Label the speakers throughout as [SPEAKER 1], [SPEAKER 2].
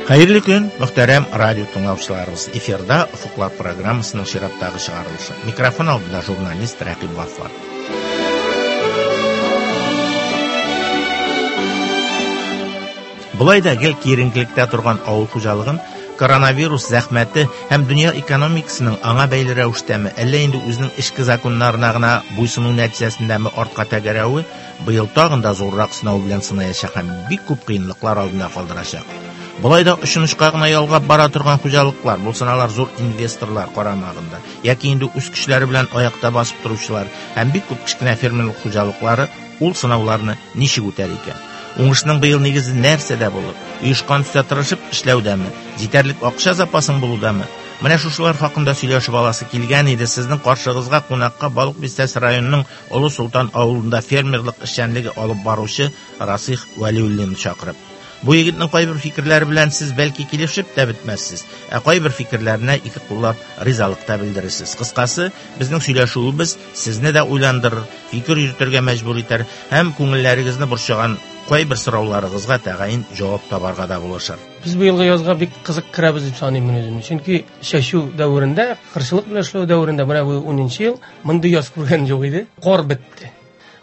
[SPEAKER 1] Хәерле көн, мөхтәрәм радио тыңлаучыларыбыз. Эфирда Офыклар программасының чираттагы чыгарылышы. Микрофон алдында журналист Рәкыйп Гаффар. Болай да гел киеренкелектә торган авыл хуҗалыгын коронавирус зәхмәте һәм дөнья экономикасының аңа бәйле рәвештәме, әллә инде үзенең эчке законнарына гына буйсыну нәтиҗәсендәме артка тәгәрәве быел тагын да зуррак сынау белән сынаячак һәм бик күп кыенлыклар алдында калдырачак. Болай да очын очка гына ялгап бара торган хуҗалыклар, булсын алар зур инвесторлар карамагында, яки инде үз көчләре белән аякта басып торучылар һәм бик күп кечкенә фермерлык хуҗалыклары ул сынауларны ничек үтәр икән? Уңышның быел нигезе нәрсәдә булыр? Оешкан төстә тырышып эшләүдәме? Җитәрлек акча запасың булудамы? Менә шушылар хакында сөйләшеп аласы килгән иде. Сезнең каршыгызга кунакка Балык Бистәсе районының Олы Солтан авылында фермерлык эшчәнлеге алып баручы Расих Вәлиуллинны чакырып. Бу егетнең кайбер фикерләре белән сез бәлки килешеп тә бетмәссез, ә кайбер фикерләренә ике куллап ризалык та белдерерсез. Кыскасы, безнең сөйләшүебез сезне дә уйландырыр, фикер йөртергә мәҗбүр итәр һәм күңелләрегезне борчыган кайбер сорауларыгызга тәгаен җавап табарга да булышыр.
[SPEAKER 2] Без быелгы язга бик кызык керәбез дип саныйм мин үземне. Чөнки чәчү дәверендә, кырчылык белән эшләү дәверендә менә бу 10 ел мондый яз күргән юк иде. Кар бетте.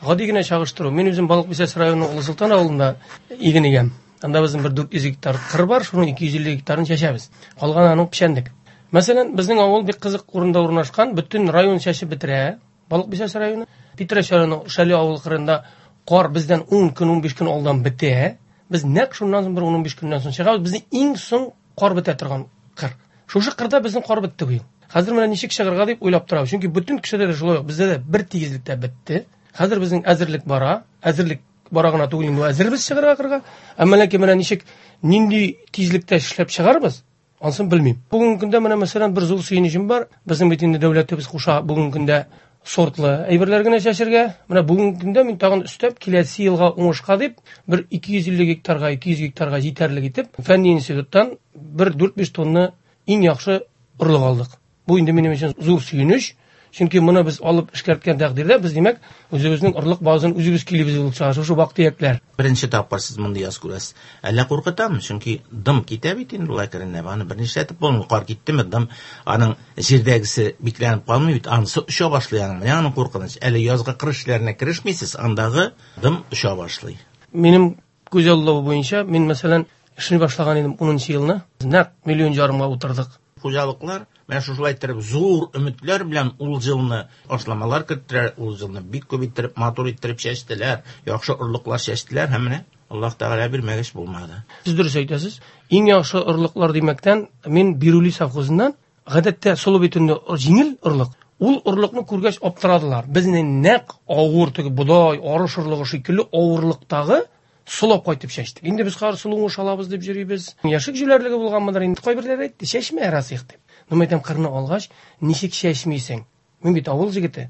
[SPEAKER 2] Гади генә чагыштыру. Мин үзем Балык Бистәсе районының Олы Солтан авылында иген игәм. Анда безнең бер 400 гектар кыр бар, шуның 250 гектарын чәчәбез. Калганы аның печәнлек. Мәсәлән, безнең авыл бик кызык урында урнашкан, бөтен район чәчеп бетерә. Балык Бистәсе районы. Питрәч районы Шәле авылы кырында кар бездән 10 көн, 15 көн алдан бетә. Без нәкъ шуннан соң бер 15 көннән соң чыгабыз. Безнең иң соң кар бетә торган кыр. Шушы кырда безнең кар бетте быел. Хәзер менә ничек чыгарга дип уйлап торабыз. Чөнки бөтен кешедә дә шулай ук, бездә дә бер тигезлектә бетте. Хәзер безнең әзерлек бара. Әзерлек бара гына түгел инде, әзербез чыгарга кырга. Әмма ләкин менә ничек, нинди тизлектә эшләп чыгарбыз, ансын белмим. Бүгенге көндә менә мәсәлән бер зур сөенечем бар. Безнең бит инде дәүләтебез куша бүгенге көндә сортлы әйберләр генә чәчергә. Менә бүгенге көндә мин тагын өстәп киләсе елга уңышка дип бер 250 гектарга, 200 гектарга җитәрлек итеп фәнни институттан бер 4-5 тонна иң яхшы орлык алдык. Бу инде минем өчен зур сөенеч. Чөнки моны без алып эшкәрткән тәкъдирдә без, димәк, үзебезнең орлык базын үзебез килебез булып чыга, шушы вак-төякләр.
[SPEAKER 1] Беренче тапкыр сез мондый яз күрәсез. Әллә куркытамы? Чөнки дым китә бит инде ул әкренләп. Аны бернишләтеп булмый. Кар киттеме, дым аның җирдәгесе бикләнеп калмый бит, анысы оча башлый аның. Менә аның куркыныч. Әле язгы кыр эшләренә керешмисез, андагы дым оча башлый.
[SPEAKER 2] Минем күз аллавы буенча, мин, мәсәлән, эшли башлаган идем 10 елны. Нәкъ миллион ярымга утырдык.
[SPEAKER 1] Хуҗалыклар менә шушылай иттереп зур өметләр белән ул елны ашламалар керттеләр, ул елны бик күп иттереп, матур иттереп чәчтеләр, яхшы орлыклар чәчтеләр һәм менә Аллаһ Тәгалә бирмәгәч булмады.
[SPEAKER 2] Сез дөрес әйтәсез. Иң яхшы орлыклар димәктән, мин Бирули совхозыннан, гадәттә солы бит инде җиңел орлык. Ул орлыкны күргәч аптырадылар. Безнең нәкъ авыр теге бодай, арыш орлыгы шикелле авырлыктагы солап кайтып чәчтек. Инде без хәзер солы уңыш алабыз дип йөрибез. Яшек җүләрлеге булганмыдыр инде. Кайберләре әйтте, чәчмә, Расих дип. Ну, әйтәм, кырны алгач, ничек чәчмисең? Мин бит авыл җегете.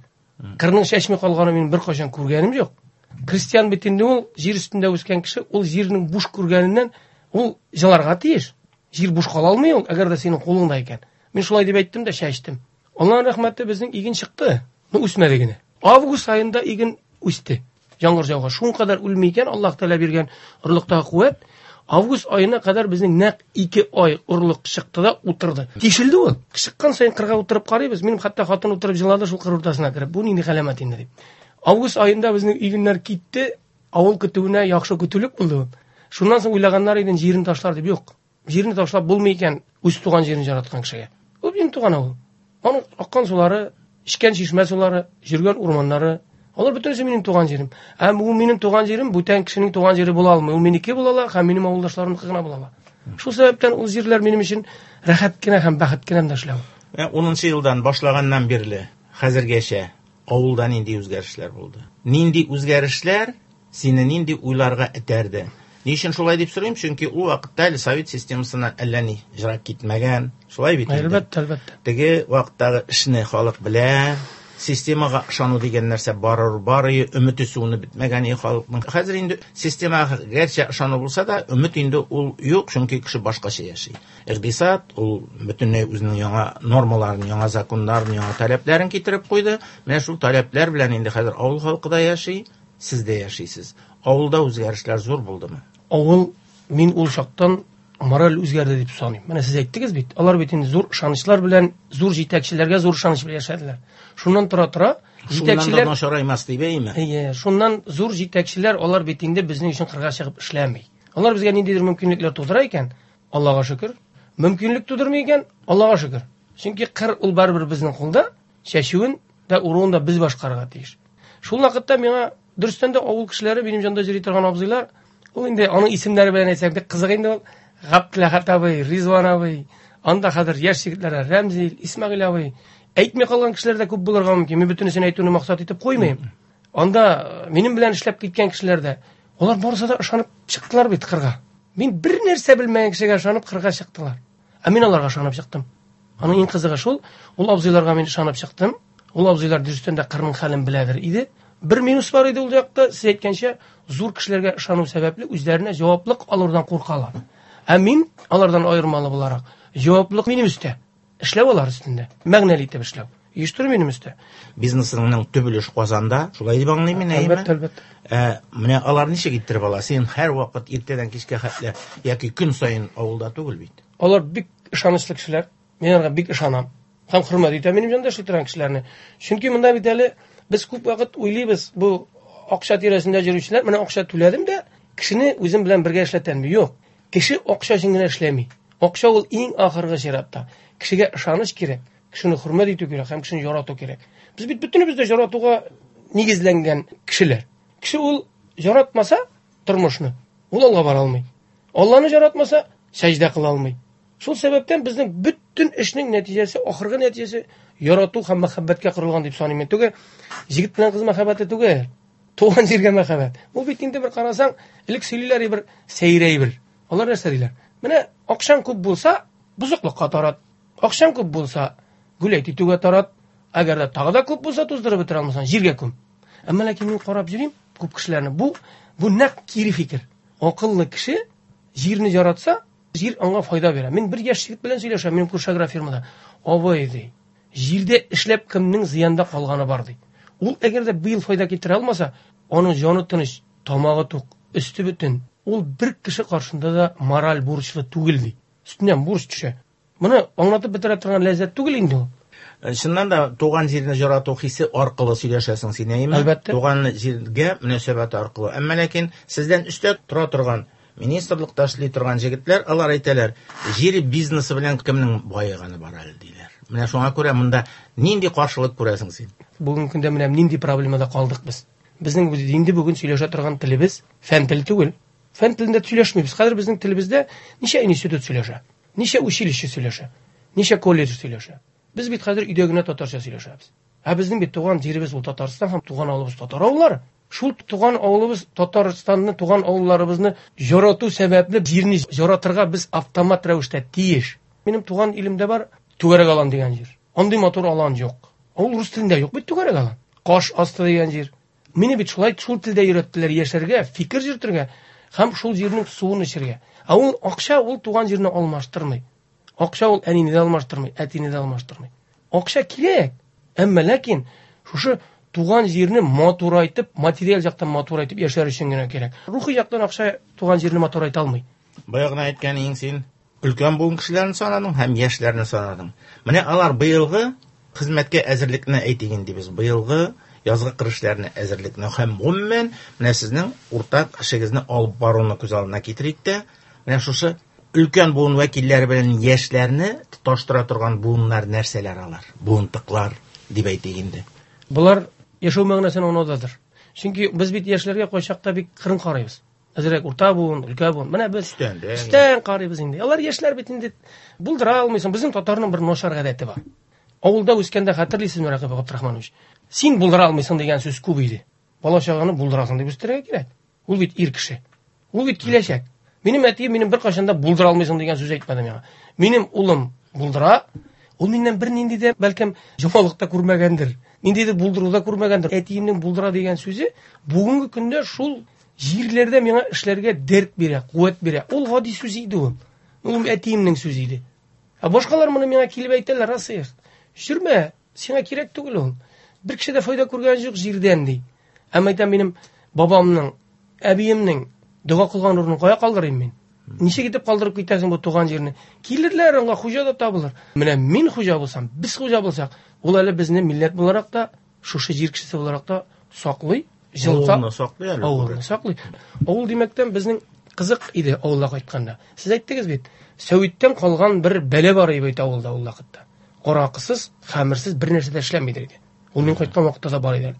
[SPEAKER 2] Кырның чәчми калганын мин беркайчан күргәнем юк. Крестьян бит инде ул җир өстендә үскән кеше, ул җирнең буш күргәненнән ул җыларга тиеш. Җир буш кала алмый ул, әгәр дә синең кулыңда икән. Мин шулай дип әйттем дә чәчтем. Аллаһның рәхмәте, безнең иген чыкты. Ну, үсмәде генә. Август аенда иген үсте. Яңгыр жауга. Шуның кадәр үлми икән, Аллаһ Тәгалә биргән орлыктагы куәт. Август аена кадәр безнең нәкъ 2 ай орлык чыкты да утырды. Тишелде ул. Чыккан саен кырга утырып карыйбыз. Минем хәтта хатын утырып җылады шул кыр уртасына кереп. Бу нинди галәмәт инде дип. Август аенда безнең игеннәр китте. Авыл көтүенә яхшы көтүлек булды. Шуннан соң уйлаганнар иде, җирен ташлар дип. Юк. Җирне ташлап булмый икән үз туган җирен яраткан кешегә. Ул минем туган авыл. Аның аккан сулары, эчкән чишмә сулары, йөргән урманнары, алар бөтенесе минем туган җирем. Ә бу минем туган җирем бүтән кешенең туган җире була алмый. Ул минеке була ала һәм минем авылдашларымныкы гына була ала. Шул сәбәптән ул җирләр минем өчен рәхәт кенә һәм бәхет кенә дә эшләү.
[SPEAKER 1] Менә 10 елдан башлаганнан бирле хәзергәчә авылда нинди үзгәрешләр булды? Нинди үзгәрешләр сине нинди уйларга этәрде? Ни өчен шулай дип сорыйм? Чөнки ул вакытта әле совет системасына әллә ни җырак китмәгән. Шулай бит инде.
[SPEAKER 2] Әлбәттә, әлбәттә.
[SPEAKER 1] Теге вакыттагы эшне халык белә, системага ышану дигән нәрсә барыр, бар, өмете суынып бетмәгән халыкның. Хәзер инде системага гәрчә ышану булса да, өмет инде ул юк, чөнки кеше башкача яши. Икътисад ул бөтенләй үзенең яңа нормаларын, яңа законнарын, яңа таләпләрен китереп куйды. Менә шул таләпләр белән инде хәзер авыл халкы да яши, сез дә яшисез. Авылда үзгәрешләр зур булдымы?
[SPEAKER 2] Авыл, мин ул чактан мораль үзгәрде дип саныйм. Менә сез әйттегез бит, алар бит инде зур ышанычлар белән, зур җитәкчеләргә зур ышаныч белән яшәделәр. Шуннан тора-тора
[SPEAKER 1] җитәкчеләр начараймас дип әйме?
[SPEAKER 2] Әйе, шуннан зур җитәкчеләр алар бит инде безнең өчен кырга чыгып эшләми. Алар безгә ниндидер мөмкинлекләр тудыра икән, Аллага шөкер. Мөмкинлек тудырмый икән, Аллага шөкер. Чөнки кыр ул барыбер безнең кулда, чәчүен дә уруын да без башкарырга тиеш. Шул вакытта миңа дөрестән дә авыл кешеләре, минем җанда йөри торган абзыйлар, ул инде аның исемнәре белән әйтсәк, бик кызык инде ул. Габделәхәт абый, Ризван абый, анда хәзер яшь егетләр Рәмзил, Исмәгыйль абый. Әйтми калган кешеләр дә күп булырга мөмкин. Мин бөтенесен әйтүне максат итеп куймыйм. Анда минем белән эшләп киткән кешеләр дә, алар барысы да ышанып чыктылар бит кырга. Мин бер нәрсә белмәгән кешегә ышанып кырга чыктылар. Ә мин аларга ышанып чыктым. Аның иң кызыгы шул, ул абзыйларга мин ышанып чыктым. Ул абзыйлар дөрестән дә кырның хәлен беләдер иде. Бер минус бар иде ул якта, сез әйткәнчә, зур кешеләргә ышану сәбәпле үзләренә җаваплык алудан куркалар. Ә мин алардан аермалы буларак, җаваплык минем өстә. Эшләү алар өстендә. Мәгънәле итеп эшләү. Оештыру минем өстә.
[SPEAKER 1] Бизнесыңның төп өлеш Казанда, шулай дип аңлыйм мин, әйеме?
[SPEAKER 2] Әлбәттә, әлбәттә.
[SPEAKER 1] Менә алар ничек иттереп ала? Син һәрвакыт иртәдән кичкә хәтле яки көн саен авылда түгел бит.
[SPEAKER 2] Алар бик ышанычлы кешеләр. Мин аларга бик ышанам. Һәм хөрмәт итәм минем янда эшли торган кешеләрне. Чөнки монда бит әле без күп вакыт уйлыйбыз, бу акча тирәсендә йөрүчеләр, менә акча түләдем дә, кешене үзем белән бергә эшләтәм. Юк. Кеше акча өчен генә эшләми. Акча ул иң ахыргы чиратта. Кешегә ышаныч кирәк, кешене хөрмәт итү кирәк һәм кешене ярату кирәк. Без бит бөтенебез дә яратуга нигезләнгән кешеләр. Кеше ул яратмаса тормышны, ул алга бара алмый. Алланы яратмаса, сәҗдә кыла алмый. Шул сәбәптән безнең бөтен эшнең нәтиҗәсе, ахыргы нәтиҗәсе ярату һәм мәхәббәткә корылган дип саныйм мин. Түгел, җегет белән кыз мәхәббәте түгел, туган җиргә мәхәббәт. Ул бит инде бер карасаң, элек сөйлиләр бер сәер әйбер. Алар нәрсә диләр? Менә акчаң күп булса, бозыклыкка тарат. Акчаң күп булса, гүләйт итүгә тарат. Әгәр дә тагы да күп булса, туздырып бетерә алмасаң, җиргә күм. Әмма ләкин мин карап йөрим күп кешеләрне. Бу нәкъ кире фикер. Акыллы кеше җирне яратса, җир аңа файда бирә. Мин бер яшь егет белән сөйләшәм, минем күрше агрофирмада. Абый ди, җирдә эшләп кемнең зыянда калганы бар ди. Ул әгәр дә быел файда китерә алмаса, аның җаны тыныч, тамагы тук, өсте бөтен. Ул бер кеше каршында да мораль бурычлы түгел ди. Өстеннән бурыч төшә. Моны аңлатып бетерә торган ләззәт түгел инде ул.
[SPEAKER 1] Чыннан да туган җирне ярату хисе аркылы сөйләшәсең син, әйеме?
[SPEAKER 2] Әлбәттә.
[SPEAKER 1] Туган җиргә мөнәсәбәт аркылы. Әмма ләкин сездән өстә тора торган министрлыкта эшли торган җегетләр, алар әйтәләр, җир бизнесы белән кемнең баеганы бар әле диләр. Менә шуңа күрә монда нинди каршылык күрәсең син?
[SPEAKER 2] Бүгенге көндә менә нинди проблемада калдык без. Безнең инде бүген сөйләшә торган телебез фән теле түгел. Фән телендә сөйләшмибез. Хәзер безнең телебездә ничә институт сөйләшә, ничә училище сөйләшә, ничә колледж сөйләшә. Без бит хәзер өйдә генә татарча сөйләшәбез. Ә безнең бит туган җиребез ул Татарстан һәм туган авылыбыз татар авыллары. Шул туган авылыбыз Татарстанны, туган авылларыбызны ярату сәбәпле җирне яратырга без автомат рәвештә тиеш. Минем туган илемдә бар Түгәрәк алан дигән җир. Андый матур алан юк. Ул рус телендә юк бит Түгәрәк алан. Каш асты дигән җир. Мине бит шулай шул телдә өйрәттеләр яшәргә, фикер йөртергә һәм шул җирнең суын эчәргә. Ә ул акча ул туган җирне алмаштырмый. Акча ул әнине дә алмаштырмый, әтине дә алмаштырмый. Акча кирәк, әмма ләкин шушы туган җирне матурайтып, материаль яктан матурайтып яшәр өчен генә кирәк. Рухи яктан акча туган җирне матурайта алмый.
[SPEAKER 1] Бая гына әйткән иң син өлкән буын кешеләрен санадың һәм яшьләрне санадың. Менә алар быелгы хезмәткә әзерлекне әйтик инде без, быелгы язгы кыр эшләренә әзерлекне һәм гомумән менә сезнең уртак эшегезне алып баруны күз алдына китерик тә, менә шушы өлкән буын вәкилләре белән яшьләрне тоташтыра торган буыннар нәрсәләр алар? Буынтыклар дип әйтик инде.
[SPEAKER 2] Болар яшәү мәгънәсен аңлаудадыр. Чөнки без бит яшьләргә кайчакта бик кырын карыйбыз. Әзрәк урта буын, өлкән буын. Менә без өстән карыйбыз инде. Алар яшьләр бит инде булдыра алмыйсың. Безнең татарның бер начар гадәте бар. Авылда үскәндә хәтерлисезме, Рәкыйп Габдрахманович? Син булдыра алмыйсың дигән сүз күп иде. Бала чаганы булдырасың дип үстерергә кирәк. Ул бит ир кеше. Ул бит киләчәк. Минем әтием минем беркайчан да булдыра алмыйсың дигән сүз әйтмәде миңа. Минем улым булдыра. Ул миннән бернинди дә бәлкем җомалык та күрмәгәндер. Ниндидер булдыру да күрмәгәндер. Әтиемнең булдыра дигән сүзе бүгенге көндә шул җирләрдә миңа эшләргә дәрт бирә, куәт бирә. Ул гади сүз иде ул. Ул әтиемнең сүзе иде. Ә башкалар моны миңа килеп әйтәләр, Расыйх, йөрмә, сиңа кирәк түгел ул. Бер кеше дә файда күргән юк җирдән ди. Әмма әйтәм, минем бабамның, әбиемнең дога кылган урынын кая калдырыйм мин? Ничек итеп калдырып китәсең бу туган җирне? Килерләр, аңа хуҗа да табылыр. Менә мин хуҗа булсам, без хуҗа булсак, ул әле безне милләт буларак та, шушы җир кешесе буларак та саклый, җылыта.
[SPEAKER 1] Авылны саклый әле.
[SPEAKER 2] Авылны саклый. Авыл димәктән безнең кызык иде авылга кайтканда. Сез әйттегез бит, сәвиттән калган бер бәлә бар иде бит авылда ул вакытта. Аракысыз, хәмерсез бер нәрсә дә эшләмидер иде. Ул мин кайткан вакытта да бар иде.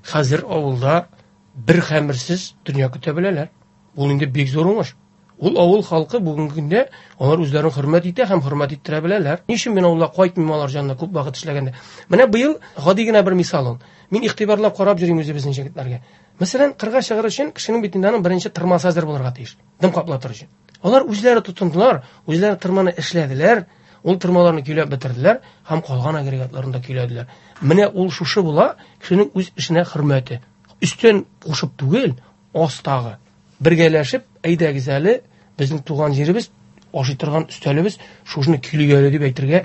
[SPEAKER 2] Хәзер авылда бер хәмерсез дөнья көтә беләләр. Ул инде бик зур уңыш. Ул авыл халкы бүгенге көндә алар үзләрен хөрмәт итә һәм хөрмәт иттерә беләләр. Ни өчен мин авылга кайтмыйм алар янына күп вакыт эшләгәндә? Менә быел гади генә бер мисал ул. Мин игътибарлап карап йөрим үзебезнең җегетләргә. Мәсәлән, кырга чыгыр өчен кешенең бит инде аның беренче тырмасы әзер булырга тиеш. Дым каплатыр өчен. Алар үзләре тотындылар, үзләре тырманы эшләделәр, ул тырмаларны көйләп бетерделәр һәм калган агрегатларын да көйләделәр. Менә ул шушы була кешенең үз эшенә хөрмәте. Өстән кушып түгел, астагы. Бергәләшеп, әйдәгез әле, безнең туган җиребез, ашый торган өстәлебез, шушыны көйлик әле дип әйтергә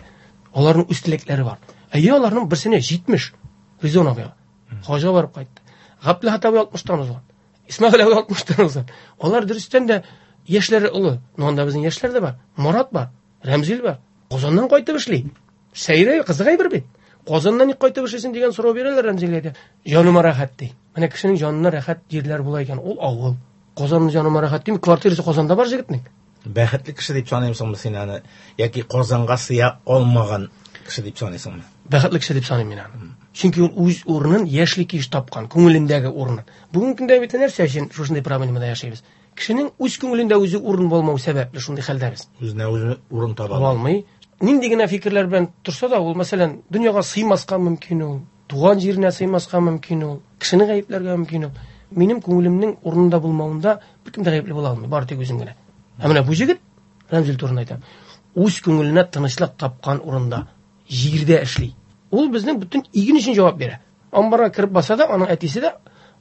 [SPEAKER 2] аларның үз теләкләре бар. Әйе, аларның берсенә 70 Ризон абыйга. Хаҗга барып кайтты. Габделхат абый 60-тан узган. Исмәгыйль абый 60-тан узган. Алар дөрестән дә яшьләре олы. Но анда безнең яшьләр дә бар. Марат бар, Рәмзил бар. Казаннан кайтып эшли. Сәйрә, кызык әйбер бит. Казаннан ник кайтып эшлисең дигән сорау бирәләр Рәмзилгә дә. Җаныма рәхәт ди. Менә кешенең җанына рәхәт җирләр була икән, ул авыл. Казанның җаныма рәхәт дим, квартирасы Казанда бар җегетнең.
[SPEAKER 1] Бәхетле кеше дип саныйсыңмы син аны яки Казанга сыя алмаган кеше дип саныйсыңмы?
[SPEAKER 2] Бәхетле кеше дип саныйм мин аны. Чөнки ул үз урынын яшьли кич тапкан, күңелендәге урынын. Бүгенге көндә бит нәрсә өчен шушындый проблемада яшибез? Кешенең үз күңелендә үзе урын булмау сәбәпле шундый хәлдә без.
[SPEAKER 1] Үзенә үзе урын таба
[SPEAKER 2] алмый. Нинди генә фикерләр белән торса да, ул, мәсәлән, дөньяга сыймаска мөмкин ул, туган җиренә сыймаска мөмкин ул, кешене гаепләргә мөмкин ул. Минем күңелемнең урынында булмавында беркем дә гаепле була алмый, бары тик үзем генә. Ә менә бу җегет, Рәмзил турында әйтәм, үз күңеленә тынычлык тапкан урында, җирдә эшли. Ул безнең бөтен иген өчен җавап бирә. Амбарга кереп баса да, аның әтисе дә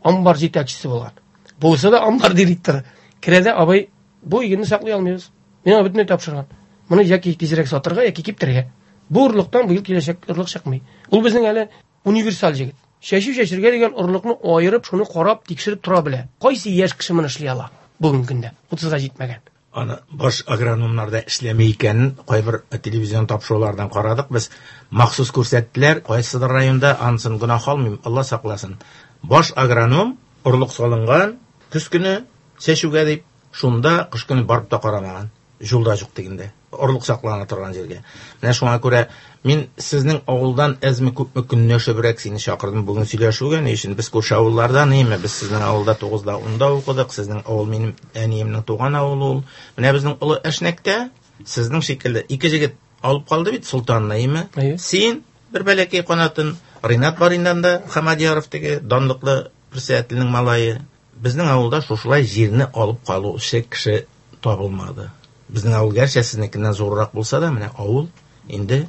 [SPEAKER 2] амбар җитәкчесе булган. Булса да амбар директоры. Керә дә, абый, бу игенне саклый алмыйбыз. Миңа бөтенләй тапшырган. Моны яки тизрәк сатырга, яки киптерергә. Бу орлыктан быел киләчәк орлык чыкмый. Ул безнең әле универсаль җегет. Чәчү чәчергә дигән орлыкны аерып, шуны карап, тикшереп тора белә. Кайсы яшь кеше моны эшли ала бүгенге көндә? 30-га җитмәгән.
[SPEAKER 1] Аны баш агрономнар да эшләми икәнен кайбер телевизион тапшырулардан карадык без. Махсус күрсәттеләр, кайсыдыр районда, анысын гөнаһ алмыйм, Алла сакласын. Баш агроном орлык салынган, көз көне чәчүгә дип, шунда кыш көне барып та карамаган. Юлда юк дигәндә, орлык саклана торган җиргә. Менә шуңа күрә мин сезнең авылдан әзме күпме көнләшебрәк сине чакырдым бүген сөйләшүгә. Ни өчен? Без күрше авыллардан, име? Без сезнең авылда 9-да 10-да укыдык. Сезнең авыл минем әниемнең туган авылы ул. Менә безнең Олы Әшнәктә сезнең шикелле ике җегет алып калды бит Солтанны, име? Син бер бәләкәй канатын, Ринат бар инде анда, Хамадьяров теге данлыклы председательнең малае. Безнең авылда шушылай җирне алып калучы кеше табылмады. Безнең авыл гәрчә сезнекеннән зуррак булса да, менә авыл инде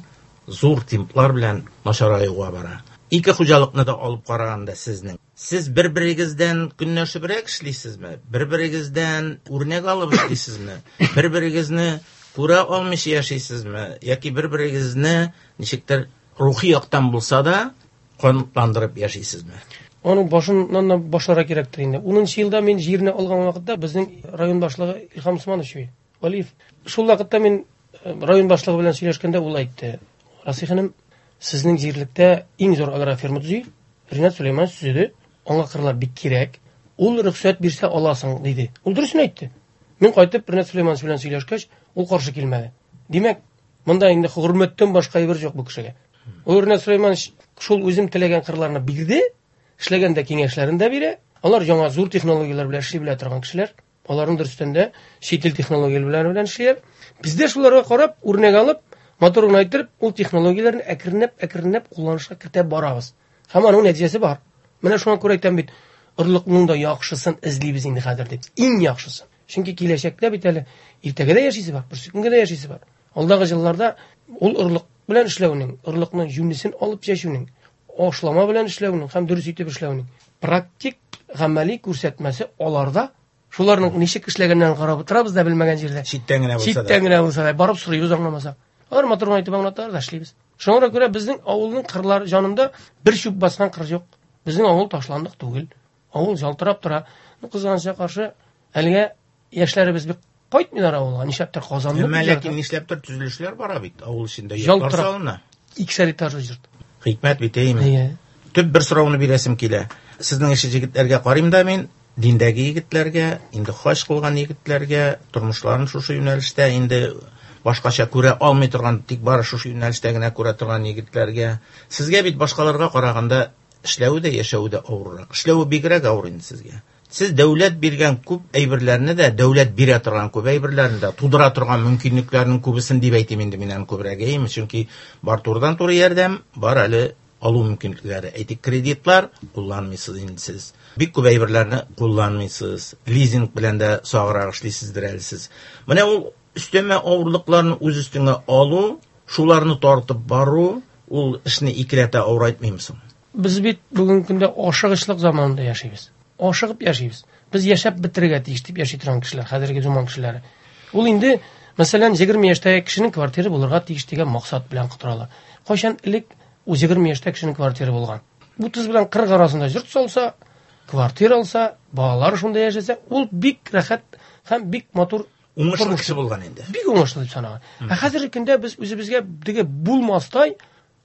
[SPEAKER 1] зур темплар белән начараюга бара. Ике хуҗалыкны да алып караганда сезнең. Сез бер-берегездән көнләшебрәк эшлисезме? Бер-берегездән үрнәк алып эшлисезме? Бер-берегезне күрә алмыйча яшисезме? Яки бер-берегезне ничектер рухи яктан булса да канатландырып яшисезме?
[SPEAKER 2] Аның башыннан да башларга кирәктер инде. 10 елда мин җирне алган вакытта безнең район башлыгы Илһам Усманович Вәлиев. Шул вакытта мин район башлыгы белән сөйләшкәндә ул әйтте: "Расих энем, сезнең җирлектә иң зур агрофирма төзи. Ринат Сулейманович төзеде. Аңа кырлар бик кирәк. Ул рөхсәт бирсә аласың", диде. Ул дөресен әйтте. Мин кайтып Ринат Сулейманович белән сөйләшкәч, ул каршы килмәде. Димәк, монда инде хөрмәттән башка әйбер юк бу кешегә. Ул Ринат Сулейманович шул үзем теләгән кырларны бирде, эшләгәндә киңәшләрен дә бирә. Алар яңа зур технологияләр белән эшли белә торган кешеләр. Аларның дөрестән дә чит ил технологияләре белән эшлиләр. Без дә шуларга карап, үрнәк алып, матур гына иттереп, ул технологияләрне әкренләп-әкренләп кулланышка кертә барабыз. Һәм аның нәтиҗәсе бар. Менә шуңа күрә әйтәм бит, орлыкның да яхшысын эзлибез инде хәзер дип. Иң яхшысын. Чөнки киләчәктә бит әле иртәгә дә яшисе бар, берсекөнгә дә яшисе бар. Алдагы елларда ул орлык белән эшләүнең, орлыкның юнесен алып чәчүнең, ашлама белән эшләүнең һәм дөрес итеп эшләүнең практик гамәли күрсәтмәсе аларда. Шуларның ничек эшләгәннәрен карап утырабыз да белмәгән җирдә.
[SPEAKER 1] Читтән генә булса да.
[SPEAKER 2] Читтән генә булса да барып сорыйбыз аңламаса. Алар матур гына итеп аңлаталар да эшлибез. Шуңа күрә безнең авылның кырлар җанында бер чүп баскан кыр юк. Безнең авыл ташландык түгел. Авыл ялтырап тора. Кызганычка каршы, әлегә яшьләребез бик Кайтмыйлар авылга, нишләптер Казанны.
[SPEAKER 1] Әмма ләкин нишләптер төзелешләр бара бит авыл эчендә, йортлар салына.
[SPEAKER 2] Икешәр этажлы йорт.
[SPEAKER 1] Хикмәт бит, әйеме? Төп бер сорауны бирәсем килә. Сезнең ише җегетләргә карыйм да мин, диндәге егетләргә, инде хаҗ кылган егетләргә, тормышларын шушы юнәлештә инде башкача күрә алмый торган, тик бары шушы юнәлештә генә күрә торган егетләргә. Сезгә бит башкаларга караганда эшләве дә, яшәве дә авыррак. Эшләве бигрәк авыр инде сезгә. Сез дәүләт биргән күп әйберләрне дә, дәүләт бирә торган күп әйберләрне дә, тудыра торган мөмкинлекләрнең күбесен дип әйтим инде мин аны күбрәк, әйеме? Чөнки бар турыдан-туры ярдәм, бар әле алу мөмкинлекләре. Әйтик, кредитлар кулланмыйсыз инде сез. Бик күп әйберләрне кулланмыйсыз. Лизинг белән дә саграк эшлисездер әле сез. Менә ул өстәмә авырлыкларны үз өстеңә алу, шуларны тартып бару, ул эшне икеләтә авырайтмыймы соң?
[SPEAKER 2] Без бит бүгенге көндә ашыгычлык заманында яшибез. Ашыгып яшибез. Без яшәп бетерергә тиеш дип яши торган кешеләр, хәзерге заман кешеләре. Ул инде, мәсәлән, 20 яшьтәге кешенең квартиры булырга тиеш дигән максат белән котыралар. Кайчан элек ул 20 яшьтә кешенең квартиры булган? 30 белән 40 арасында йорт салса, квартира алса, балалары шунда яшәсә, ул бик рәхәт һәм бик матур
[SPEAKER 1] уңышлы кеше булган инде.
[SPEAKER 2] Бик уңышлы дип санаган. Ә хәзерге көндә без үзебезгә теге булмастай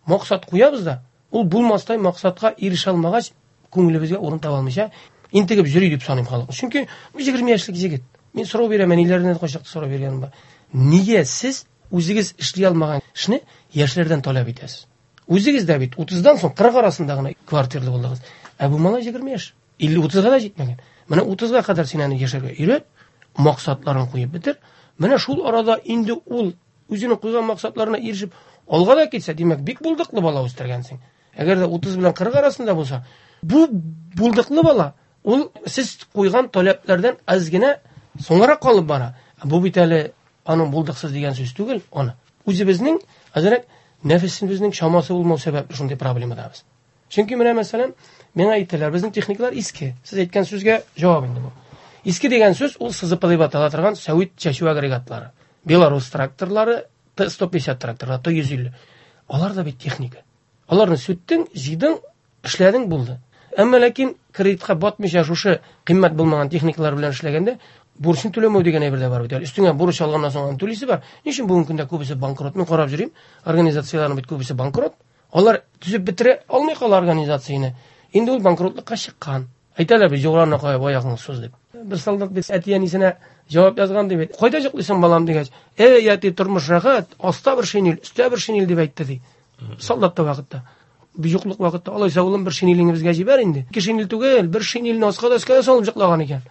[SPEAKER 2] максат куябыз да, ул булмастай максатка ирешә алмагач, күңелебезгә урын таба алмыйча интегеп йөри дип саныйм халык. Чөнки 20 яшьлек егет. Мин сорау бирәм, әниләренә дә кайчакта сорау биргәнем бар. Нигә сез үзегез эшли алмаган эшне яшьләрдән таләп итәсез? Үзегез дә бит 30-дан соң 40 арасында гына квартирлы булдыгыз. Ә бу малай 20 яшь. 50-30-га да җитмәгән. Менә 30-га кадәр син аны яшәргә өйрәт, максатларын куеп бетер. Менә шул арада инде ул үзенең куйган максатларына ирешеп алга да китсә, димәк, бик булдыклы бала үстергәнсең. Әгәр дә 30 белән 40 арасында булса, бу булдыклы бала, ул сез куйган таләпләрдән аз генә соңгарак калып бара. Бу бит әле аның булдыксыз дигән сүз түгел, аны. Үзебезнең әзрәк нәфесебезнең чамасы булмау сәбәпле шундый проблемадабыз. Чөнки менә мәсәлән, миңа әйттеләр, безнең техникалар иске. Сез әйткән сүзгә җавап инде бу. Иске дигән сүз ул СЗП дип атала торган сәвит чәчү агрегатлары. Белорус тракторлары, Т-150 тракторлары, Т-150. Алар да бит техника. Аларны сүттең, җыйдың, эшләдең, булды. Әмма ләкин кредитка батмыйча шушы кыйммәт булмаган техникалар белән эшләгәндә бурычны түләмәү дигән әйбер дә бар бит әле. Өстеңә бурыч алганнан соң аны түлисе бар. Ни өчен бүгенге көндә күбесе банкрот? Мин карап йөрим, организацияләрнең бит күбесе банкрот. Алар төзеп бетерә алмый кала организацияне. Инде ул банкротлыкка чыккан. Әйтәләр бит, юлларына кая аягыңны суз дип. Бер солдат бит әти-әнисенә җавап язган ди бит. Кайда йоклыйсың, балам дигәч, "Эй, әти, тормыш рәхәт, аста бер шинель, өстә бер шинель" дип әйтте ди. Солдатта вакытта. Юклык вакытта, алайса улым бер шинелеңне безгә җибәр инде. Ике шинель түгел, бер шинельне аска да өскә дә салып йоклаган икән.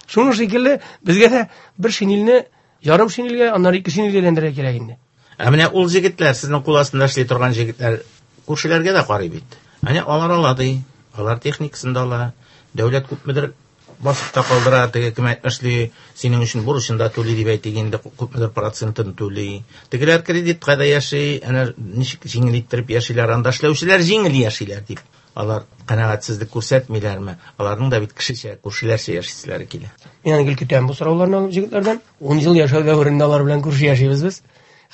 [SPEAKER 2] Шуның шикелле безгә дә бер шинельне ярым шинельгә, аннары ике шинельгә әйләндерергә кирәк инде.
[SPEAKER 1] Ә менә ул җегетләр, сезнең кул астында эшли торган җегетләр күршеләргә дә карый бит. Әнә алар ала ди, алар техникасын да ала. Дәүләт күпмедер басып та калдыра, теге кем әйтмешли, синең өчен бурычын да түли дип әйтик инде, күпмедер процентын түли. Тегеләр кредитка да яши, әнә ничек җиңел иттереп яшиләр, анда эшләүчеләр җиңел яшиләр дип. Алар канәгатьсезлек күрсәтмиләрме? Аларның да бит кешечә, күршеләрчә яшиселәре килә.
[SPEAKER 2] Мин аны гел көтәм бу сорауларны алып җегетләрдән. 10 ел яшәү дәверендә алар белән күрше яшибез без.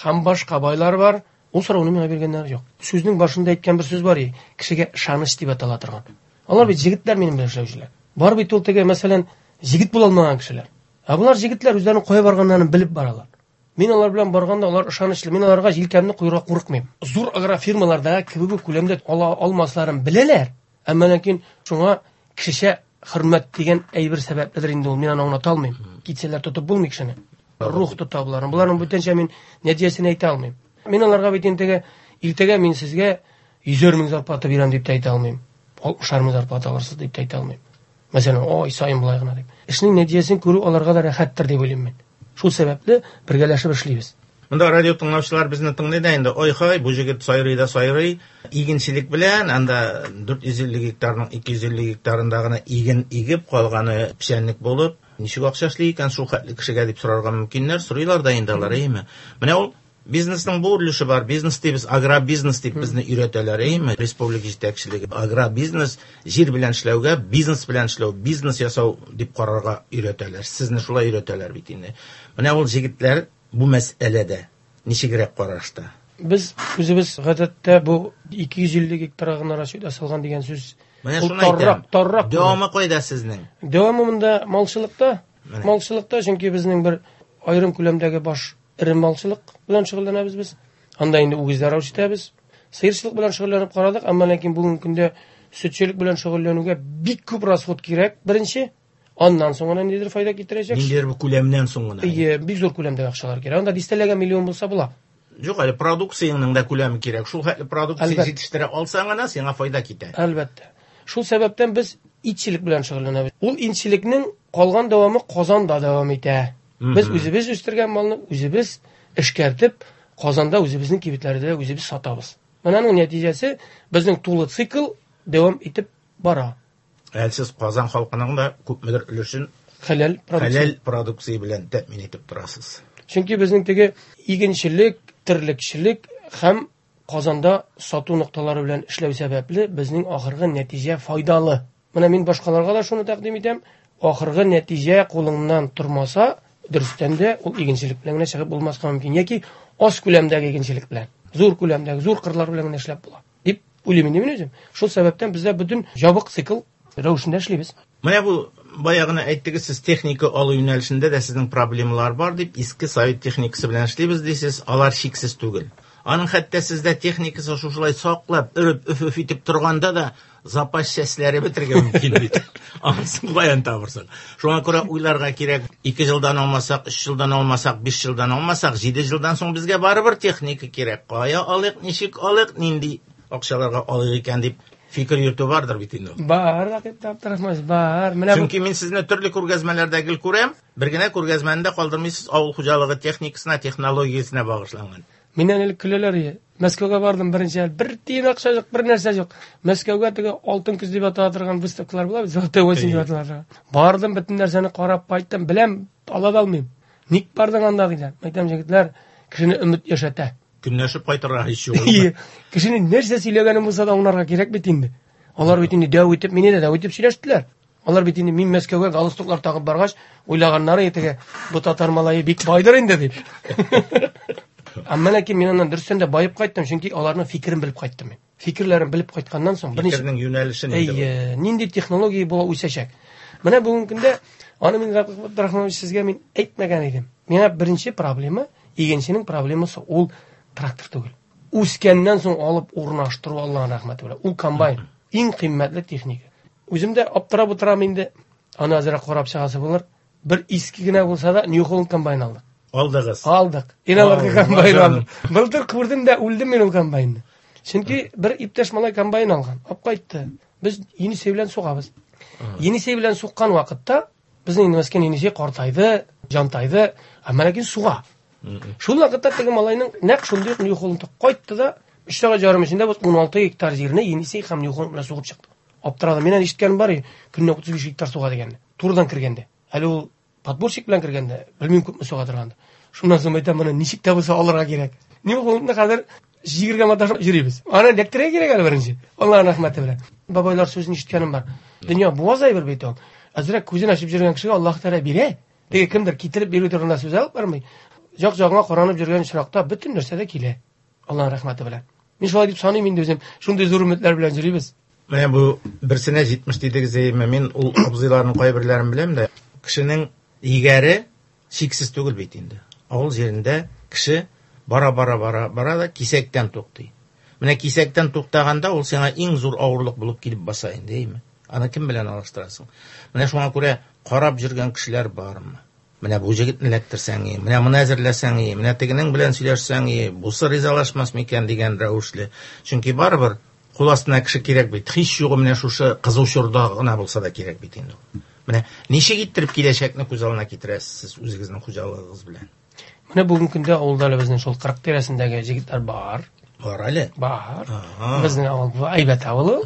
[SPEAKER 2] Һәм башка байлар бар. Ул сорауны миңа биргәннәр юк. Сүзнең башында әйткән бер сүз бар, кешегә ышаныч дип атала торган. Алар бит җегетләр минем белән эшләүчеләр. Бар бит ул теге, мәсәлән, җегет була алмаган кешеләр. Ә болар җегетләр үзләренең кая барганнарын белеп баралар. Мин алар белән барганда алар ышанычлы. Мин аларга җилкәмне куярга курыкмыйм. Зур агрофирмалардагы кебек үк күләмдә ала алмасларын беләләр. Әмма ләкин шуңа кешечә хөрмәт дигән әйбер сәбәпледер инде ул. Мин аны аңлата алмыйм. Китсәләр тотып булмый кешене. Рух тота боларны. Боларның бүтәнчә мин нәтиҗәсен әйтә алмыйм. Мин аларга бит инде иртәгә мин сезгә 100 мең зарплата бирәм дип тә әйтә алмыйм. 60 мең зарплата алырсыз дип тә әйтә алмыйм. Мәсәлән, ай саен болай гына дип. Эшнең нәтиҗәсен күрү аларга да рәхәттер дип уйлыйм мин. Шул сәбәпле бергәләшеп эшлибез.
[SPEAKER 1] Монда радио тыңлаучылар безне тыңлый да инде. Ой-хай, бу җегет сайрый да сайрый. Игенчелек белән анда 450 гектарның 250 гектарында гына иген игеп, калганы печәнлек булып, ничек акча эшли икән шул хәтле кешегә дип сорарга мөмкиннәр, сорыйлар да инде алар, әйеме? Менә ул бизнесның бу өлеше бар. Бизнес дибез, агробизнес дип безне өйрәтәләр, әйеме? Республика җитәкчелеге агробизнес, җир белән эшләүгә, бизнес белән эшләү, бизнес ясау дип карарга өйрәтәләр. Сезне шулай өйрәтәләр бит инде. Менә ул җегетләр бу мәсьәләдә ничегрәк карашта?
[SPEAKER 2] Без үзебез гадәттә бу 250 гектарга гына расчет ясалган дигән сүз.
[SPEAKER 1] Менә шуны әйтәм.
[SPEAKER 2] Таррак.
[SPEAKER 1] Дәвамы кайда сезнең?
[SPEAKER 2] Дәвамы монда малчылыкта. Малчылыкта, чөнки безнең бер Аерым күләмдәге баш эре малчылык белән шөгыльләнәбез без. Анда инде үгезләр үрчетәбез. Сыерчылык белән шөгыльләнеп карадык, әмма ләкин бүгенге көндә сөтчелек белән шөгыльләнүгә бик күп расход кирәк, беренче. Аннан соң гына ниндидер файда китерәчәк.
[SPEAKER 1] Ниндидер бер күләмнән соң гына.
[SPEAKER 2] Әйе, бик зур күләмдәге акчалар кирәк. Анда дистәләгән миллион булса була.
[SPEAKER 1] Юк, әле продукцияңнең дә күләме кирәк. Шул хәтле продукция җитештерә алсаң гына, сиңа файда китә.
[SPEAKER 2] Әлбәттә. Шул сәбәптән без итчелек белән шөгыльләнәбез. Ул итчелекнең калган дәвамы Казанда дәвам итә. Без үзебез үстергән малны үзебез эшкәртеп, Казанда үзебезнең кибетләрдә үзебез сатабыз. Менә аның нәтиҗәсе безнең тулы цикл дәвам итеп бара.
[SPEAKER 1] Әле сез Казан халкының да күпмедер өлешен
[SPEAKER 2] хәләл
[SPEAKER 1] продукция, хәләл продукция белән тәэмин итеп торасыз.
[SPEAKER 2] Чөнки безнең теге игенчелек, терлекчелек һәм Казанда сату нокталары белән эшләү сәбәпле безнең ахыргы нәтиҗә файдалы. Менә мин башкаларга да шуны тәкъдим итәм. Ахыргы нәтиҗә кулыңнан тормаса, дөрестән дә ул игенчелек белән генә чыгып булмаска мөмкин. Яки аз күләмдәге игенчелек белән, зур күләмдәге, зур кырлар белән генә эшләп була дип уйлыйм инде мин үзем. Шул сәбәптән бездә бөтен ябык цикл рәвешендә эшлибез.
[SPEAKER 1] Менә бу бая гына әйттегез, сез техника алу юнәлешендә дә сезнең проблемалар бар дип, иске совет техникасы белән эшлибез дисез, алар чиксез түгел. Аның хәтта сездә техникасы шушылай саклап, өреп, өф-өф итеп торганда да запас частьләре бетерергә мөмкин бит. Анысын каян табырсың? Шуңа күрә уйларга кирәк. 2 елдан алмасак, 3 елдан алмасак, 5 елдан алмасак, 7 елдан соң безгә барыбер техника кирәк. Кая алыйк, ничек алыйк, нинди акчаларга алыйк икән дип фикер йөртү бардыр бит инде.
[SPEAKER 2] Бар, Рәкыйп Абдрахманович, бар.
[SPEAKER 1] Менә Чөнки мин сезне төрле күргәзмәләрдә гел күрәм. Бер генә күргәзмәне дә калдырмыйсыз, авыл хуҗалыгы техникасына, технологиясенә багышланган.
[SPEAKER 2] Миннән элек көләләр иде. Мәскәүгә бардым беренче ел. Бер тиен акча юк, бер нәрсә юк. Мәскәүгә теге алтын көз дип атала торган выставкалар була бит, золотой осень дип атала торган. Бардым, бөтен нәрсәне карап кайттым. Беләм, ала да алмыйм. Ник бардың анда диләр. Әйтәм, җегетләр, кешене өмет яшәтә.
[SPEAKER 1] Көнләшеп кайтырга һич юк.
[SPEAKER 2] Кешенең нәрсә сөйләгәнен булса да аңларга кирәк бит инде. Алар бит инде дәү итеп, мине дә дәү итеп сөйләштеләр. Алар бит инде мин Мәскәүгә галстуклар тагып баргач, уйлаганнары теге бу татар малае бик байдыр инде дип. Әмма ләкин мин аннан дөрестән дә баеп кайттым, чөнки аларның фикерен белеп кайттым мин. Фикерләрен белеп кайтканнан соң
[SPEAKER 1] берничә фикернең юнәлеше
[SPEAKER 2] нинди? Әйе, нинди технология була үсәчәк. Менә бүгенге көндә аны мин Абдрахманович сезгә мин әйтмәгән идем. Миңа беренче проблема, игенченең проблемасы ул трактор түгел. Үскәннән соң алып урнаштыру Аллаһның рәхмәте белән. Ул комбайн, иң кыйммәтле техника. Үзем дә аптырап утырам инде. Аны әзрәк карап чыгасы булыр. Бер иске генә булса да New Holland комбайн алдык.
[SPEAKER 1] Алдыгыз.
[SPEAKER 2] Алдык. Иналарга комбайн алдык. Былтыр күрдем дә үлдем мин ул комбайнны. Чөнки бер иптәш малай комбайн алган. Алып кайтты. Без Енисей белән сугабыз. Енисей белән суккан вакытта безнең инде мескен Енисей картайды, җантайды, әмма ләкин суга. Шул вакытта теге малайның нәкъ шундый ук New Holland кайтты да, 3 сәгать ярым эчендә без 16 гектар җирне Енисей һәм New Holland белән сугып чыкты. Аптырадым. Мин әле ишеткәнем бар, көненә 35 гектар суга дигәнне. Турыдан кергәндә. Әле ул подборщик белән кергәндә, белмим күпме суга торгандыр. Шуннан соң әйтәм, моны ничек тә булса алырга кирәк. New Hollandны хәзер җигергә маташып йөрибез. Аны эләктерергә кирәк әле беренче. Аллаһның рәхмәте белән. Бабайлар сүзен ишеткәнем бар. Дөнья буаз әйбер бит ул. Әзрәк күзен ачып йөргән кешегә Аллаһ Тәгалә бирә. Теге кемдер китереп бирү турында сүз алып бармый. Як-ягыңа каранып йөргән очракта бөтен нәрсә дә килә. Аллаһның рәхмәте белән. Мин шулай дип саныйм инде үзем. Шундый зур өметләр белән йөрибез.
[SPEAKER 1] Менә бу берсенә 70 дидегез, әйеме? Мин ул абзыйларның кайберләрен беләм дә. Кешенең егәре чиксез түгел бит инде. Авыл җирендә кеше бара-бара-бара бара да кисәктән туктый. Менә кисәктән туктаганда ул сиңа иң зур авырлык булып килеп баса инде, әйеме? Аны кем белән алыштырасың? Менә шуңа күрә карап йөргән кешеләр бармы? Менә бу җегетне эләктерсәң, менә моны әзерләсәң, менә тегенең белән сөйләшсәң, бусы ризалашмас микән дигән рәвешле. Чөнки барыбер кул астына кеше кирәк бит. Һич югы менә шушы кызу чорда гына булса да кирәк бит инде. Менә ничек иттереп киләчәкне күз алдына китерәсез сез үзегезнең хуҗалыгыгыз белән?
[SPEAKER 2] Менә бүгенге көндә авылда әле безнең шул 40 тирәсендәге җегетләр бар.
[SPEAKER 1] Бар әле?
[SPEAKER 2] Бар. Безнең авыл бу әйбәт авыл ул.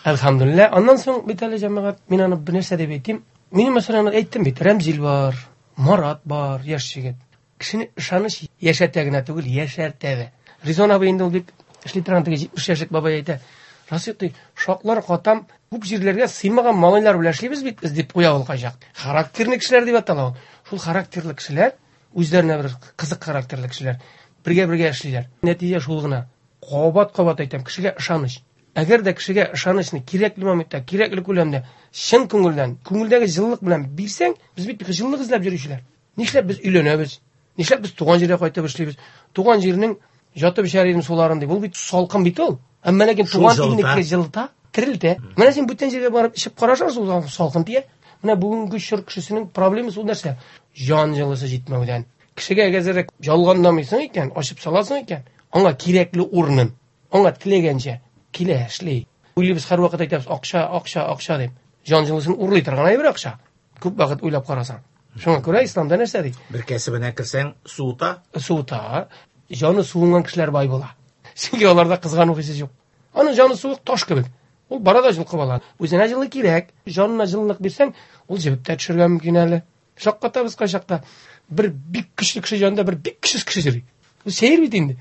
[SPEAKER 2] Әлхәмдүлилләһ. Аннан соң бит әле җәмәгать, мин аны бер нәрсә дип әйтим. Мин мәсәлән әйттем бит, Рәмзил бар, Марат бар, яшь җегет. Кешене ышаныч яшәтә генә түгел, яшәртә дә. Ризон абый инде ул бик эшли торган теге 70 яшьлек бабай әйтә. Расыйк ди, шаклар катам, күп җирләргә сыймаган малайлар белән эшлибез бит без дип куя ул кайчак. Характерный кешеләр дип атала ул. Шул характерлы кешеләр, үзләренә бер кызык характерлы кешеләр бергә-бергә эшлиләр. Нәтиҗә шул гына. Кабат-кабат әйтәм, кешегә ышаныч. Әгәр дә кешегә ышанычны кирәкле моментта, кирәкле күләмдә, чын күңелдән, күңелдәге җылылык белән бирсәң, без бит җылылык эзләп йөрүчеләр. Нишләп без өйләнәбез? Нишләп без туган җиргә кайтып эшлибез? Туган җирнең жатып эчәр идем суларын дип. Ул бит салкын бит ул. Әмма ләкин туган илнеке җылыта, терелтә. Менә син бүтән җиргә барып эчеп карашасың, ул салкын тия. Менә бүгенге чор кешесенең проблемасы ул нәрсә? Җан җылысы җитмәүдән. Кешегә әгәр ялганламыйсың икән, ачып саласың икән, аңа кирәкле урынын, аңа теләгәнчә килә, эшли. Уйлыйбыз, һәрвакыт әйтәбез, акча, акча, акча дип. Җан җылысын урлый торган әйбер акча. Күп вакыт уйлап карасаң. Шуңа күрә исламда нәрсә ди?
[SPEAKER 1] Бер кәсебенә керсәң, суыта.
[SPEAKER 2] Суыта. Җаны суынган кешеләр бай була. Чөнки аларда кызгану хисе юк. Аның җаны суык таш кебек. Ул бара да җылкып ала. Үзенә җылы кирәк. Җанына җылылык бирсәң, ул җебеп тә төшергә мөмкин әле. Шаккатабыз кайчакта. Бер бик көчле кеше янында бер бик көчсез кеше йөри. Бу сәер бит инде.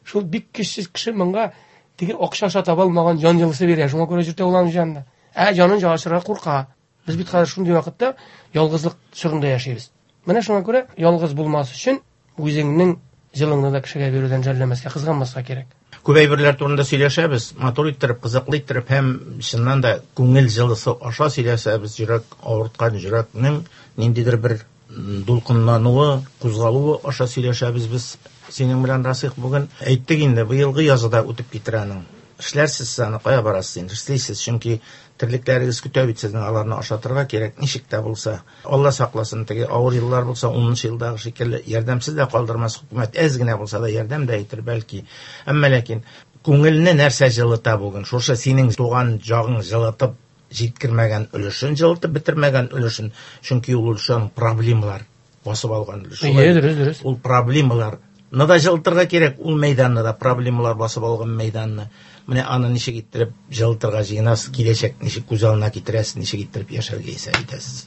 [SPEAKER 2] Шул бик көчсез кеше моңа теге акча аша таба алмаган җан җылысы бирә. Шуңа күрә йөртә ул аның җанында. Ә җанын ачырга курка. Без бит хәзер шундый вакытта ялгызлык чорында яшибез. Менә шуңа күрә ялгыз булмас өчен үзеңнең җылыңны да кешегә бирүдән жәлләмәскә, кызганмаска кирәк.
[SPEAKER 1] Күп әйберләр турында сөйләшәбез, матур иттереп, кызыклы иттереп һәм чыннан да күңел җылысы аша сөйләшәбез. Йөрәк авырткан йөрәкнең ниндидер бер дулкынлануы, кузгалуы аша сөйләшәбез без синең белән, Расих, бүген. Әйттек инде, быелгы язы да үтеп китер аның. Эшләрсез сез аны, кая барасыз инде, эшлисез, чөнки терлекләрегез көтә бит сезнең, аларны ашатырга кирәк, ничек тә булса. Алла сакласын, теге авыр еллар булса, 10 елдагы шикелле ярдәмсез дә калдырмас хөкүмәт, әз генә булса да ярдәм дә итер бәлки. Әмма ләкин күңелне нәрсә җылыта бүген? Шушы синең туган җагың җылытып җиткермәгән өлешен, җылытып бетермәгән өлешен, чөнки ул өлешен проблемалар басып алган өлеш.
[SPEAKER 2] Дөрес, дөрес.
[SPEAKER 1] Ул проблемалар ны да җылытырга кирәк, ул мәйданны да, проблемалар басып алган мәйданны. Менә аны ничек иттереп җылытырга җыенасыз, киләчәк ничек күз алдына китерәсез, ничек иттереп яшәргә исәп итәсез?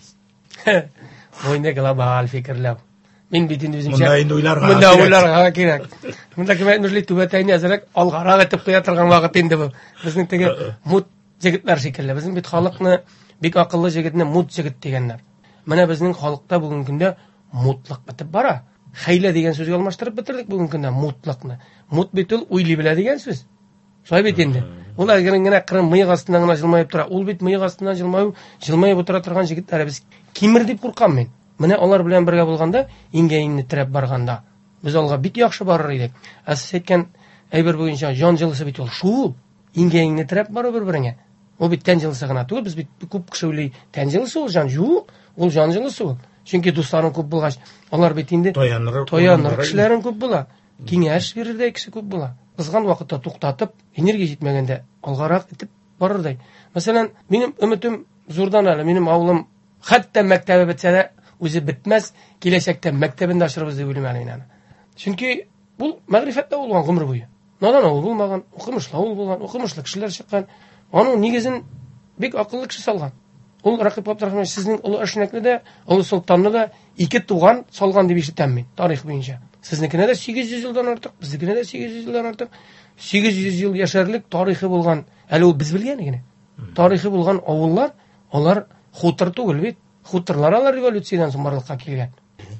[SPEAKER 2] Бу инде глобаль фикерләү. Мин бит инде үземчә.
[SPEAKER 1] Монда инде уйларга
[SPEAKER 2] Монда уйларга кирәк. Монда кем әйтмешли, түбәтәйне әзрәк алгарак итеп куя торган вакыт инде бу. Безнең теге мут җегетләр шикелле. Безнең бит халыкны бик акыллы җегетне мут җегет дигәннәр. Менә безнең халыкта бүгенге көндә мутлык бетеп бара. Хәйлә дигән сүзгә алмаштырып бетердек бүгенге көндә мутлыкны. Мут бит ул уйлый белә дигән сүз. Шулай бит инде. Ул әгәрен генә кырын мыек астыннан гына җылмаеп тора. Ул бит мыек астыннан җылмаеп утыра торган җегетләребез кимер дип куркам мин. Менә алар белән бергә булганда, иңгә иңне терәп барганда, без алга бик яхшы барыр идек. Ә сез әйткән әйбер буенча җан җылысы бит ул шул. Иңгә иңне терәп бару бер-береңә. Ул бит тән җылысы гына түгел, без бит күп кеше уйлый, тән җылысы ул җан. Юк, ул җан җылысы ул. Чөнки дусларың күп булгач, алар бит инде
[SPEAKER 1] таяныр
[SPEAKER 2] кешеләрең күп була. Киңәш бирердәй кеше күп була. Кызган вакытта туктатып, энергия җитмәгәндә алгарак итеп барырдай. Мәсәлән, минем өметем зурдан әле, минем авылым хәтта мәктәбе бетсә дә үзе бетмәс, киләчәктә мәктәбен дә ачырбыз дип уйлыйм әле мин аны. Чөнки ул мәгърифәттә булган гомер буе. Надан авыл булмаган, укымышлы авыл булган, укымышлы кешеләр чыккан. Аның нигезен бик акыллы кеше салган. Ул Рәкыйп Габдрахманович сезнең Олы Әшнәкне дә, Олы Солтанны да ике туган салган дип ишетәм мин, тарих буенча. Сезнекенә дә 800 елдан артык, безнекенә дә 800 елдан артык. 800 ел яшәрлек тарихы булган, әле ул без белгәне генә. Тарихы булган авыллар, алар хутор түгел бит. Хуторлар алар революциядән соң барлыкка килгән.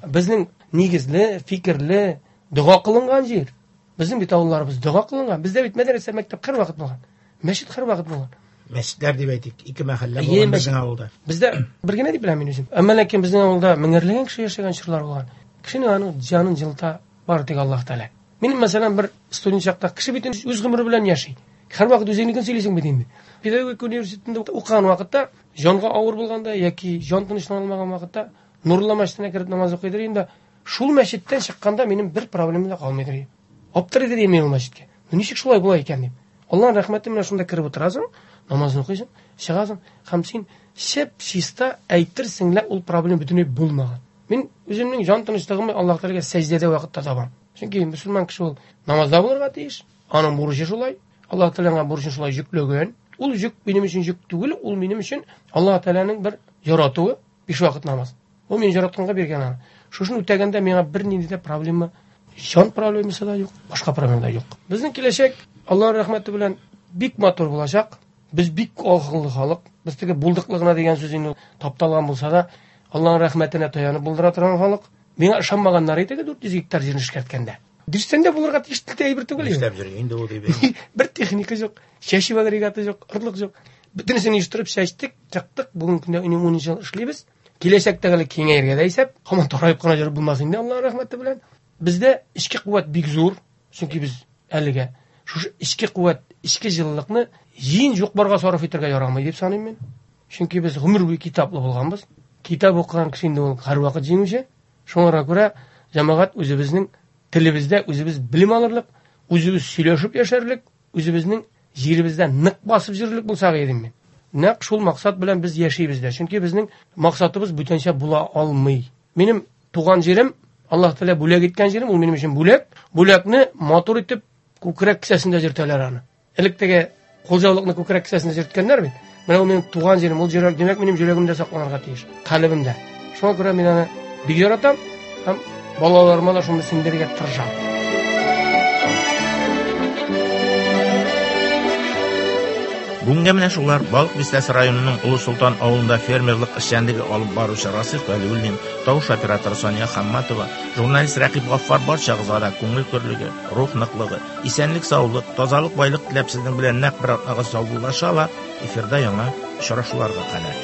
[SPEAKER 2] Безнең нигезле, фикерле, дога кылынган җир. Безнең бит авылларыбыз дога кылынган. Бездә бит мәдрәсә, мәктәп һәрвакыт булган. Мәчет һәрвакыт булган.
[SPEAKER 1] Мәчетләр дип әйтик, ике мәхәллә булган безнең авылда.
[SPEAKER 2] Бездә бер генә дип беләм мин үзем. Әмма ләкин безнең авылда меңәрләгән кеше яшәгән чорлар булган. Кешенең аның җанын җылыта бары тик Аллаһ Тәгалә. Минем, мәсәлән, бер студент чакта кеше бит үз гомере белән яши. Һәрвакыт үзеңнекен сөйлисең бит инде. Педагогика университетында укыган вакытта җанга авыр булганда яки җан тынычлана алмаган вакытта Нурулла мәчетенә кереп намаз укыйдыр инде. Шул мәчеттән чыкканда минем бер проблема да калмыйдыр. Аптырыйдыр мин ул мәчеткә. Ну ничек шулай була икән дип. Аллаһның рәхмәте белән шунда кереп утырасың, намазын укыйсың, чыгасың һәм син чип-чиста әйтерсең лә ул проблема бөтенләй булмаган. Мин үземнең җан тынычлыгымны Аллаһ Тәгаләгә сәҗдәдә вакытта табам. Чөнки мөселман кеше ул намазда булырга тиеш. Аның бурычы шулай. Аллаһ Тәгалә аңа бурычын шулай йөкләгән. Ул йөк минем өчен йөк түгел, ул минем өчен Аллаһ Тәгаләнең бер яратуы, биш вакыт намаз. Ул мине яратканга биргән аны. Шушын үтәгәндә миңа бернинди дә проблема, җан проблемасы да юк, башка проблема да юк. Безнең киләчәк Аллаһның рәхмәте белән бик матур булачак. Без бик акыллы халык. Без теге булдыклы гына дигән сүз инде тапталган булса да, Аллаһның рәхмәтенә таянып булдыра торган халык. Миңа ышанмаганнар иде 400 гектар җирне эшкәрткәндә. Дөрестән дә булырга тиеш әйбер түгел.
[SPEAKER 1] Нишләп йөри инде ул дип.
[SPEAKER 2] Бер техника юк, чәчү агрегаты юк, орлык юк. Бөтенесен оештырып чәчтек, чыктык. Бүгенге көндә 10 ел эшлибез. Киләчәктә әле киңәергә дә исәп, һаман тараеп кына йөреп булмас инде, Аллаһ рәхмәте белән. Бездә эчке куәт бик зур, чөнки без әлегә шушы эчке куәт, эчке җылылыкны җыен юк-барга сарыф итәргә ярамый дип саныйм мин. Чөнки без гомер буе китаплы булганбыз. Китап укыган кеше инде ул һәрвакыт җиңүче. Шуңа күрә җәмәгать үзебезнең телебездә үзебез белем алырлык, үзебез сөйләшеп яшәрлек, үзебезнең җиребездә нык басып йөрерлек булсак идем мин. Нәкъ шул максат белән без яшибез дә. Чөнки безнең максатыбыз бүтәнчә була алмый. Минем туган җирем, Аллаһ Тәгалә бүләк иткән җирем, ул минем өчен бүләк. Бүләкне матур итеп күкрәк кесәсендә йөртәләр аны. Элек теге кулҗаулыкны күкрәк кесәсендә йөрткәннәр бит. Менә ул минем туган җирем, ул җирәк, димәк, минем йөрәгемдә сакланырга тиеш, калебемдә. Шуңа күрә мин аны бик яратам һәм балаларыма да шуны сеңдерергә тырышам.
[SPEAKER 1] Бүгенгә менә шулар. Балык Бистәсе районының Олы Солтан авылында фермерлык эшчәнлеге алып баручы Расих Вәлиуллин, тавыш операторы Сания Хамматова, журналист Рәкыйп Гаффар барчагызга да күңел көрлеге, рух ныклыгы, исәнлек-саулык, тазалык, байлык теләп сезнең белән нәкъ бер атнага саубуллаша ала. Эфирда яңа очрашуларга кадәр.